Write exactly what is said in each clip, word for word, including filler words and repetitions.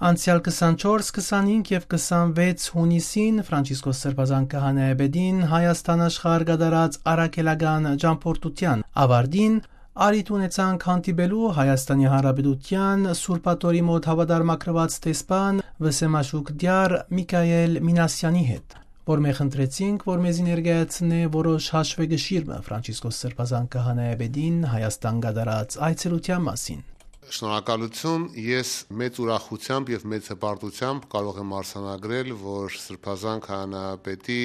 Անցեալ քսանչորս, քսանհինգ եւ քսանվեց յունիսին Ֆրանցիսկոս Սրբազան քահանայապետին Հայաստան աշխարհ կատարած առաքելական ճամբորդութեան ավարտին առիթ ունեցանք հանդիպելու Հայաստանի Հանրապետութեան Սուրբ Աթոռի մօտ հաւատարմագրուած դեսպան Վսեմաշուք Դիար Միքայել Մինասեանի հետ, որ մէ խնդրեցինք, որ մեզի ներկայացնէ որոշ հաշուեգշիր մը Ֆրանցիսկոս Սրբազան քահանայապետին Հայաստան կատարած այցելութեան մասին։ Շնորհակալություն, ես մեծ ուրախությամբ եւ մեծ հպարտությամբ կարող եմ արձանագրել, որ Սրբազան քահանայապետի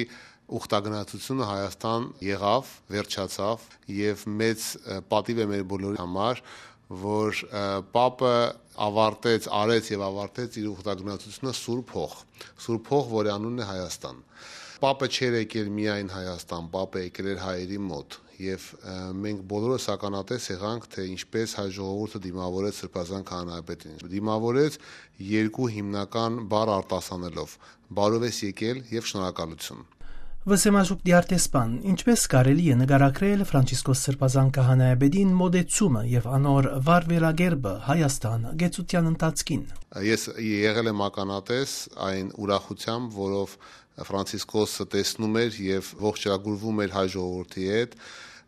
ուխտագնացությունը Հայաստան եղաւ, վերջացաւ եւ մեծ, ը, պատիվ է մեր բոլորի համար, որ, ը, Պապը ավարտեց, արեց եւ ավարտեց իր ուխտագնացությունը Սուրբ Հող, Սուրբ Հող, որի անունն է Հայաստան։ Պապը չէր եկել միայն Հայաստան, Պապը եկել էր հայերի մոտ, եւ, ը, մենք բոլորս ականատես եղանք, թե ինչպես հայ ժողովուրդը դիմավորեց Սրբազան քահանայապետին։ Դիմավորեց երկու հիմնական բառ արտասանելով՝ «Բարով ես եկել» եւ «Շնորհակալություն»։ Վսեմաշուք Դիարտեսպան, ինչպես կարելի է նկարագրել Ֆրանցիսկոս Սրբազան քահանայապետին մոտեցումը եւ անոր վարվելակերպը Հայաստան գեցության ընթացքին։ Ես եղել եմ ականատես այն ուրախությամբ, որով Ֆրանցիսկոսը տեսնում էր եւ ողջերակրվում էր հայ ժողովրդի հետ։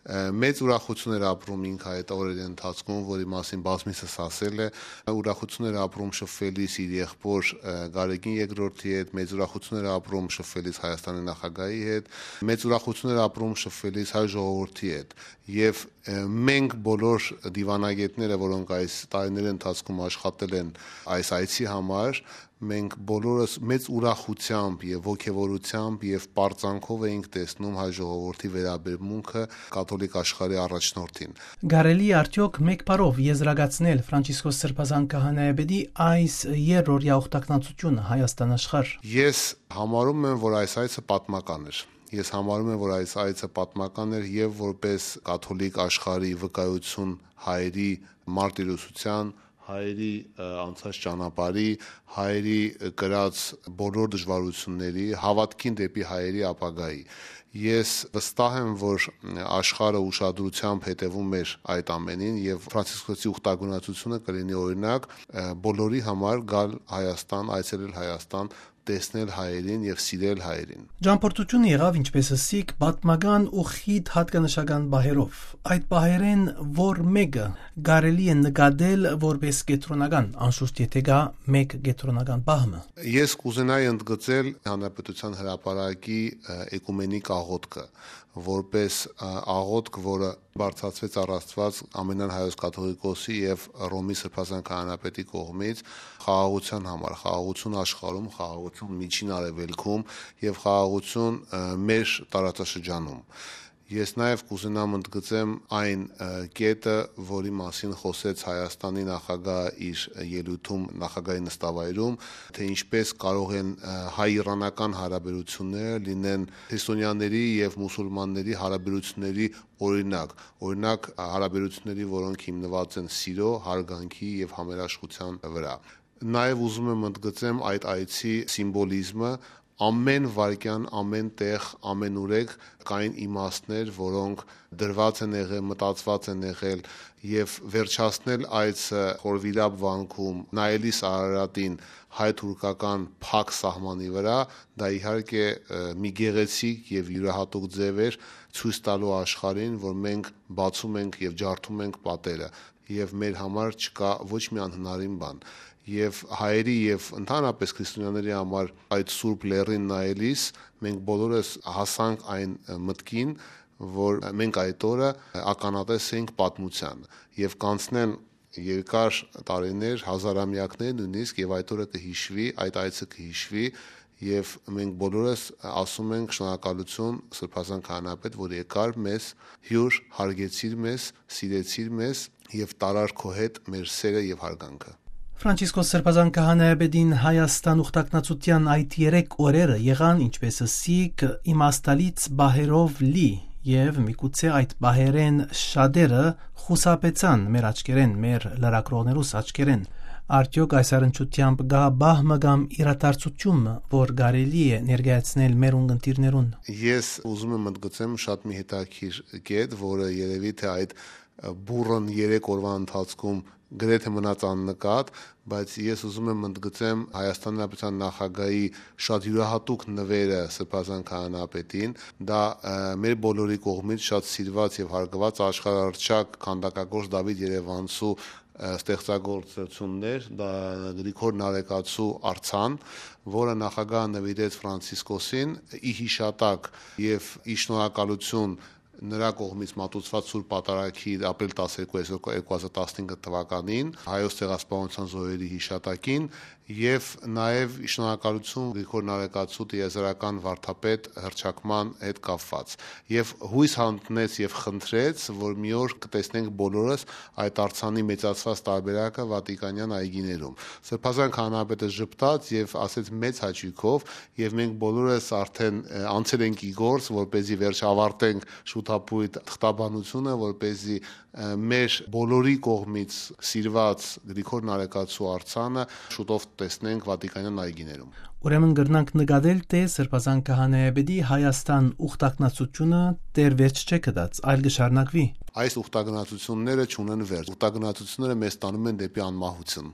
Ը, մեծ ուրախություն էր ապրում ինք այդ օրերին ընթացքում, որի մասին բազմիցս ասել է։ Ուրախություն էր ապրում շփվելիս իր եղբոր, ը, Գարեգին երկրորդի հետ, մեծ ուրախություն էր ապրում շփվելիս Հայաստանի նախագահի հետ, մեծ ուրախություն էր ապրում շփվելիս հայ ժողովրդի հետ։ Եւ, ը, մենք բոլոր դիվանագետները, որոնք այս տարիների ընթացքում աշխատել են այս այցի համար, մենք բոլորս մեծ ուրախությամբ եւ ոգեւորությամբ եւ պարծանքով էինք տեսնում հայ ժողովրդի վերաբերմունքը կաթոլիկ աշխարհի առաջնորդին։ Կարելի է արդյոք մէկ բառով եզրակացնել Ֆրանցիսկոս Սրբազան քահանայապետի այս երրորդյա ուխտագնացությունը Հայաստան աշխարհ։ Ես համարում եմ, որ այս այցը պատմական էր։ Ես համարում եմ, որ այս այցը պատմական էր եւ որպես կաթոլիկ աշխարհի վկայություն հայերի մարտիրոսության, հայերի, ը, անցած ճանապարհի, հայերի, ը, կրած բոլոր դժվարությունների, հաւատքին դէպի հայերի ապագայի։ Ես վստահ եմ, որ, ը, աշխարհը ուշադրությամբ հետեւում էր այդ ամենին եւ Ֆրանցիսկոսի ուխտագնացությունը կլինի օրինակ, ը, բոլորի համար գալ Հայաստան, այցելել Հայաստան, տեսնել հայերին եւ սիրել հայերին։ Ճամբորդությունը եղաւ, ինչպես ըսիք, պատմական ու խիտ յատկանշական պահերով։ Այդ պահերէն որ մէկը կարելի է նկատել որպես կեդրոնական, անշուշտ, եթէ կայ մէկ կեդրոնական պահ մը։ Ես կուզենայի ընդգծել Հանրապետության հրապարակի, ը, էկումենիկ աղոթքը, որպես, ը, աղոթք, որը բարձրացուեց առ Աստուած ամենայն հայոց կաթողիկոսի եւ Ռոմի Սրբազան քահանայապետի կողմից խաղաղութեան համար, խաղաղություն աշխարհում, խաղաղություն Միջին Արեւելքում եւ խաղաղություն, ը, մեր տարածաշրջանում։ Ես նաեւ կուզենամ ընդգծեմ այն, ը, կետը, որի մասին խօսեց Հայաստանի նախագահը իր ելոյթում, նախագահի նստավայրում, թե ինչպես կարող են, ը, հայ-իռանական հարաբերությունները լինեն քրիստոնյաների եւ մուսուլմանների հարաբերությունների օրինակ, օրինակ, հարաբերությունների, որոնք հիմնված են սիրո, հարգանքի եւ համերաշխության վրա։ Նաեւ ուզում եմ ընդգծեմ այդ այցի սիմվոլիզմը։ Ամեն վայրկեան, ամեն տեղ, ամենուրեք կային իմաստներ, որոնք դրված են եղել, մտածված են եղել, եւ վերջացնել այցը Խորվիրապ վանքում, նայելիս Արարատին հայ-թուրքական փակ սահմանի վրա, դա իհարկե, ը, մի գեղեցիկ եւ յուրահատուկ ձեւ էր, ցոյց տալու աշխարհին, որ մենք բացում ենք եւ ջարդում ենք պատերը, եւ մեր համար չկա ոչ մի անհնարին բան։ Եւ հայերի եւ ընդհանրապես քրիստոնյաների համար այդ սուրբ լեռին նայելիս մենք բոլորս հասանք այն, ը, մտքին, որ մենք այդ օրը ականատես ենք պատմության, եւ կանցնեն երկար տարիներ, հազարամյակներ նույնիսկ, եւ այդ օրը կը հիշուի, այդ այցը կը հիշուի, եւ մենք բոլորս ասում ենք շնորհակալություն Սրբազան քահանայապետ, որ եկար մեզ հիւր, հարգեցիր մեզ, սիրեցիր մեզ եւ տարար քո հետ մեր սերը եւ հարգանքը։ Ֆրանցիսկոս Սրբազան քահանայապետին Հայաստան ուխտագնացության այդ երեք օրերը եղան, ինչպես ըսիք, իմաստալից պահերով լի, եւ միգուցե այդ պահերէն շատերը խուսափեցան մեր աչքերէն, մեր լրագրողներուս աչքերէն։ Արդյոք այս առնչությամբ կայ պահ մը կամ իրադարձություն մը, որ կարելի է ներկայացնել մեր ունգընտիրներուն։ Ես ուզում եմ ընդգծեմ շատ մի հետաքրքիր կետ, որը երևի թե այդ բուռն երեք օրուան ընթացքում գրեթե մնաց աննկատ, բայց ես ուզում եմ ընդգծեմ Հայաստանի Հանրապետության նախագահի շատ յուրահատուկ նվերը Սրբազան քահանայապետին, դա, ը, մեր բոլորի կողմից շատ սիրված եւ հարգված աշխարհահռչակ քանդակագործ Դավիթ Երեւանցու, ը, ստեղծագործություններ, դա Գրիգոր Նարեկացու արձան, որը նախագահը նվիրեց Ֆրանցիսկոսին ի յիշատակ եւ ի շնորհակալություն նրա կողմից մատուցված Սուրբ Պատարագի ապրիլ տասներկու, երկու հազար տասնհինգ թվականին, հայոց ցեղասպանության զոհերի յիշատակին, եւ նաեւ շնորհակալություն Գրիգոր Նարեկացու տիեզերական վարդապետ հռչակման հետ կապված։ Եւ յոյս յայտնեց եւ խնդրեց, որ մի օր կտեսնենք բոլորս այդ արձանի մեծացված տարբերակը Վատիկանյան այգիներում։ Սրբազան քահանայապետը ժպտաց եւ ասեց մեծ հաճոյքով, եւ մենք բոլորս արդեն, ը, անցել ենք ի գործ, որպեսզի վերջ ավարտենք շուտապույտ թղթաբանությունը, որպեսզի, ը, մեր բոլորի կողմից սիրված Գրիգոր Նարեկացու արձանը շուտով տեսնենք Վատիկանյան այգիներում։ Ուրեմն կրնանք նկատել, թէ Սրբազան քահանայապետի Հայաստան ուխտագնացությունը դեռ վերջ չէ գտած, այլ կը շարունակուի։ Այս ուխտագնացությունները չունեն վերջ։ Ուխտագնացությունները մեզ տանում են դեպի անմահություն։